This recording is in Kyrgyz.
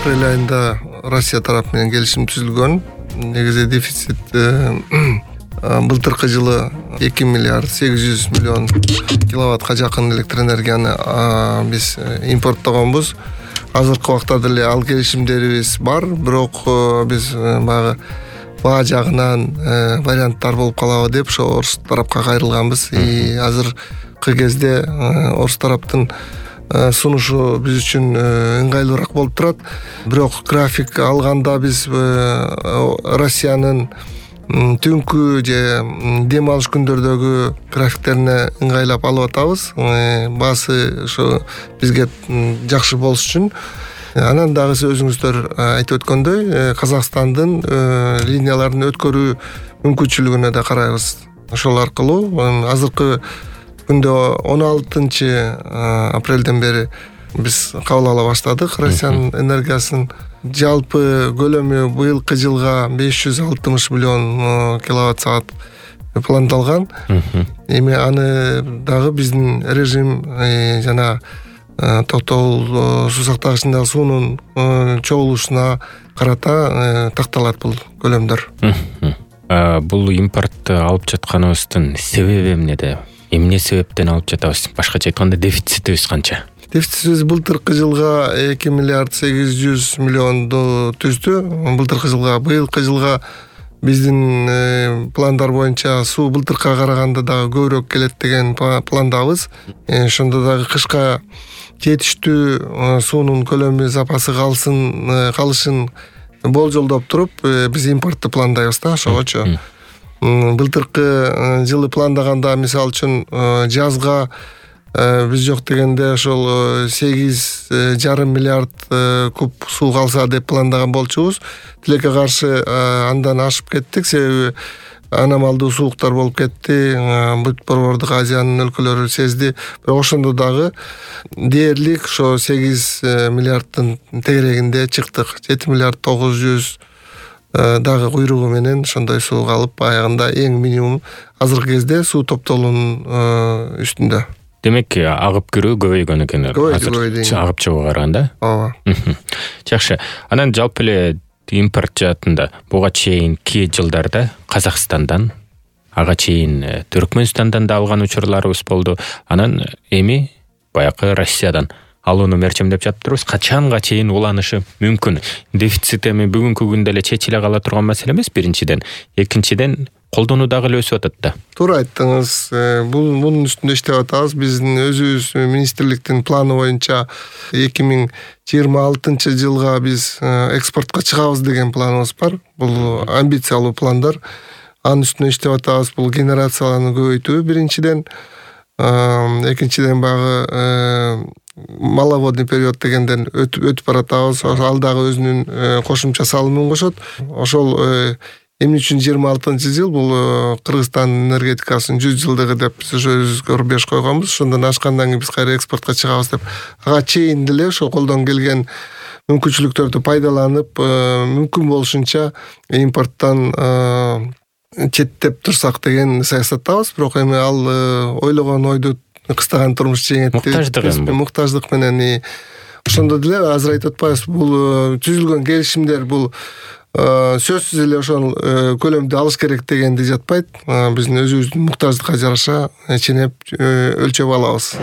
апрель айында Россия тарапы менен келишим түзүлгөн. Негизи дефицит былтыркы жылы 2 миллиард 800 миллион киловаттка жакын электр энергияны биз импорттогонбуз. Азыркы убакта деле ал келишимдерибиз бар, бирок биз баа жагынан варианттар болуп калабы деп ошо орус тарапка кайрылганбыз. Азыркы кезде орус тараптын сунушу биз үчүн ыңгайлуураак болуп турат. Бирок график алганда биз Россиянын түнкү же дем алыш күндөрдөгү графиктерине ыңгайлап алып атабыз. Баасы ошо бизге жакшы болуш үчүн. Анан дагы өзүңүздөр айтып өткөндөй, Казакстандын линияларын өткөрүү мүмкүнчүлүгүнө да карайбыз. Ошол аркылуу азыркы күндө 16 апрелден бери биз кабыл ала баштадык Россиянын энергиясын. Жалпы көлөмү быйылкы жылга 560 миллион киловатт саат пландалган. Эми аны дагы биздин режим жана токтогул суу сактагычындагы суунун чогулушуна карата такталат бул көлөмдөр. Бул импортты алып жатканыбыздын себеби эмнеде? Эмне себептен алып жатабыз? Башкача айтканда дефицитибиз канча? Дефицитибиз былтыркы жылга 2 миллиард 800 миллионду түздү. Былтыркы жылга, быйылкы жылга биздин пландар боюнча суу былтыркыга караганда дагы көбүрөөк келет деген пландабыз. Ошондо дагы кышка жетиштүү суунун көлөмү запасы калышын болжолдоп туруп биз импортту пландайбыз да, ошогочу. Былтыркы жылы пландаганда мисалы үчүн жазга биз жок дегенде ошол 8,5 миллиард куб суу калса деп пландаган болчубуз. Тилекке каршы андан ашып кеттик, себеби аномалдуу сууктар болуп кетти. Бүт Борбордук Азиянын өлкөлөрү сезди. Бирок ошондо дагы дээрлик ошо 8 миллиарддын тегерегинде чыктык. 7 миллиард 900 дагы куйругу менен ошондой суу калып, аягында эң минимум азыркы кезде суу топтоолунун үстүндө. Демек, агып кирүү көбөйгөн экен. Агып чыгууга караганда. Ооба. Жакшы. Анан жалпы эле импорт жаатында буга чейинки жылдарда Казакстандан, ага чейин Түркмөнстандан да алган учурларыбыз болду. Анан эми баякы Россиядан алууну мерчемдеп жатырбыз. Качанга чейин уланышы мүмкүн? Дефицит эми бүгүнкү күндө эле чечиле кала турган маселе эмес, биринчиден. Экинчиден, колдонуу дагы эле өсүп атат да. Туура айттыңыз. Бунун үстүндө иштеп атабыз. Биздин өзүбүз министрликтин планы боюнча 2026 жылга биз экспортко чыгабыз деген планыбыз бар. Бул амбициялуу пландар. Анын үстүндө иштеп атабыз. Бул генерацияларды көбөйтүү биринчиден. Экинчиден багы маловодный период дегенден өтүп баратабыз. Ал дагы өзүнүн кошумча салымын кошот. Ошол эмне үчүн 26 жыл бул Кыргызстан энергетикасынын 100 жылдыгы деп биз ошо көрбөш койгонбуз. Ошондон ашкандан кийин биз кайра экспортко чыгабыз деп. Ага чейин деле ошо колдон келген мүмкүнчүлүктөрдү пайдаланып, мүмкүн болушунча импорттон четтеп турсак деген саясаттабыз. Бирок эми ал ойлогон ойду кыстаган турмуш жеңет. Муктаждык менен ошондо деле азыр айтып атпайбыз. Бул түзүлгөн келишимдер бул сөзсүз эле ошол көлөмдү алыш керек дегенди жатпайт. Биздин өзүбүздүн муктаждыкка жараша ченеп өлчөп алабыз.